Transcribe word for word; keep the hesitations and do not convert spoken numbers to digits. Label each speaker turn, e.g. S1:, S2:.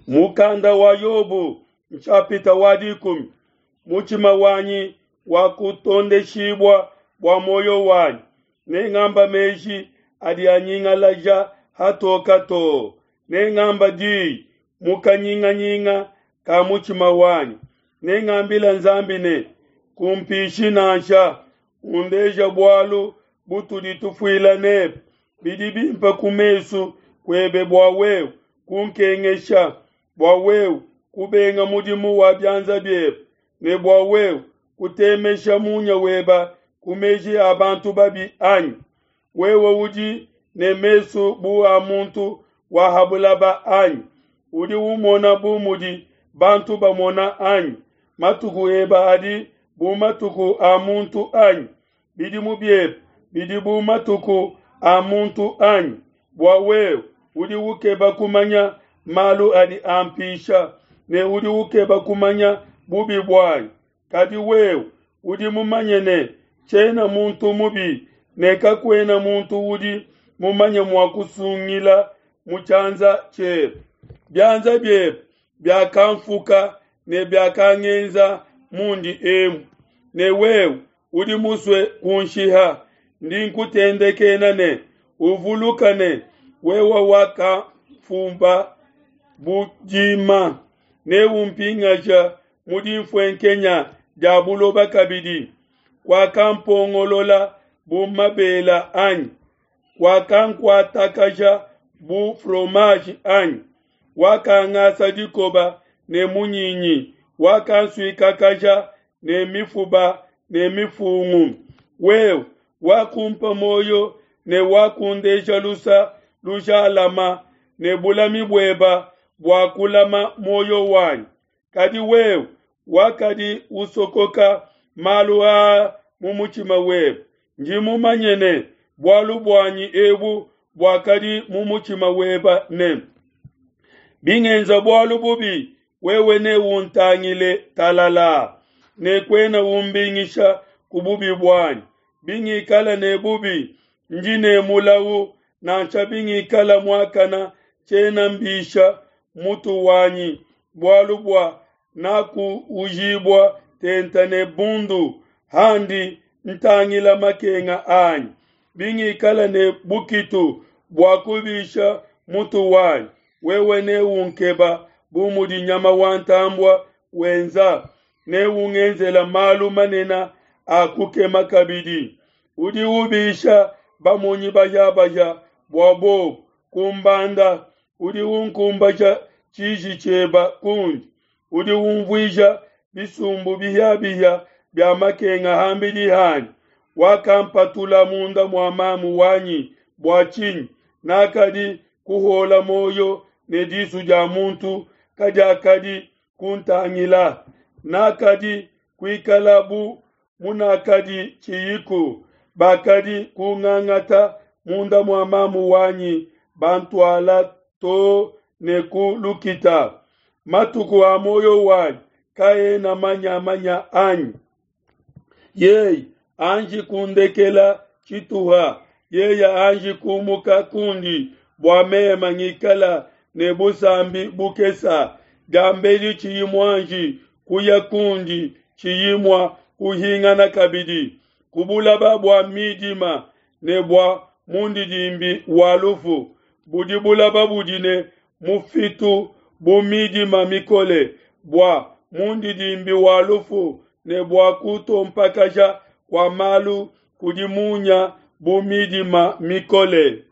S1: Mukanda wa Yobo nshapita wa dikumi. Mutshima wanyi wakutondeshibua bua muoyo wanyi, nengamba meji adi anyingalaja hatoka too, nengamba diyi mu kanyinganyinga ka mutshima wanyi, nengambila Nzambi ne, kumpishi nansha, undeja bualu butudi tufuila nebe. Bidi bimpe ku mesu kuebe bua wewe kunkengesha, bua wewe kubenga mudimu wa bianza biebe, ne bua wewe kutemesha munya weba ku meji a bantu babi anyi? Wewe udi ne mesu bu a muntu wa ha bulaba anyi? Udi umona bu mudi bantu bamona anyi? Matuku ebe adi bu matuku a muntu anyi? Bidimu biebe bidi bu matuku a muntu anyi? Bua wewe udi ukeba kumanya malu adi ampisha, ne udi ukeba kumanya bubi buanyi. Kadi wewe udi mumanye ne, tshiena muntu mubi, ne kakuena muntu udi mumanye mua kusungila mu tshianza tshiebe. Bianza biebe biakamfuka ne biakangenza mundi emu, ne wewe udi musue kunshiha. Ndi nkutendekena ne, uvuluka ne, wewe wakamfumba bu dima, neumpingaja mu dinfuenkenya dia buloba kabidi. Wakampongolola bu mabela anyi? Wakankuatakaja bu fromage anyi? Wakangasa dikoba ne munyinyi, wakansuikakaja ne mifuba ne mifungu. Wewe wakumpa muoyo ne wakundeja lusa lujalama, ne bulami bueba bua kulama muoyo wanyi. Kadi wewe wakadi usokoka malu aa mu mutshima webe. Ndi mumanye ne, bualu buanyi ebu buakadi mu mutshima weba ne, bingenza bualu bubi, wewe neuntangile talala, ne kuena umbingisha ku bubi buanyi. Bingikala ne bubi, ndi ne mulawu, nansha bingikala muakana, tshiena mbisha mutu wanyi, bualu bua nakuujibua tente ne bundu handi ntangila makenga anyi. Bingikala ne bukitu bua kubisha mutu wanyi, wewe neunkeba bu mudi nyama wa ntambua wenza, neungenzela malu manene a kukema kabidi. Udi ubisha bamonyi bayabaja bua bobu kumbanda, udi unkumbaja tshiji tshieba kundi, udi umvuija bisumbu bihiabihia bia makenga ham'bidi hanyi. Wakampatula munda mua mamu wanyi bua tshinyi? Nakadi kuhuola muoyo ne disu dia muntu kadiakadi kuntangila. Nakadi kuikala bu munakadi tshiyiku, bakadi kungangata munda mua mamu wanyi bantuala to ne ku lukita. Matuku a muoyo wanyi kaena manyamanya anyi? Yeye anji kundekela tshituha, yeye anji kumuka kundi bua mema ngikala ne busambi bukesa, diambedi tshiyi muanji kuya kundi tshiyi mua kuhingana kabidi, ku bulaba bua midima ne bua mundidimbi wa lufu, budi bulaba budi ne mufitu bu midima mikole, bua mundidimbi wa lufu ne bua kutompakaja kua malu kudi munya bu midima mikole.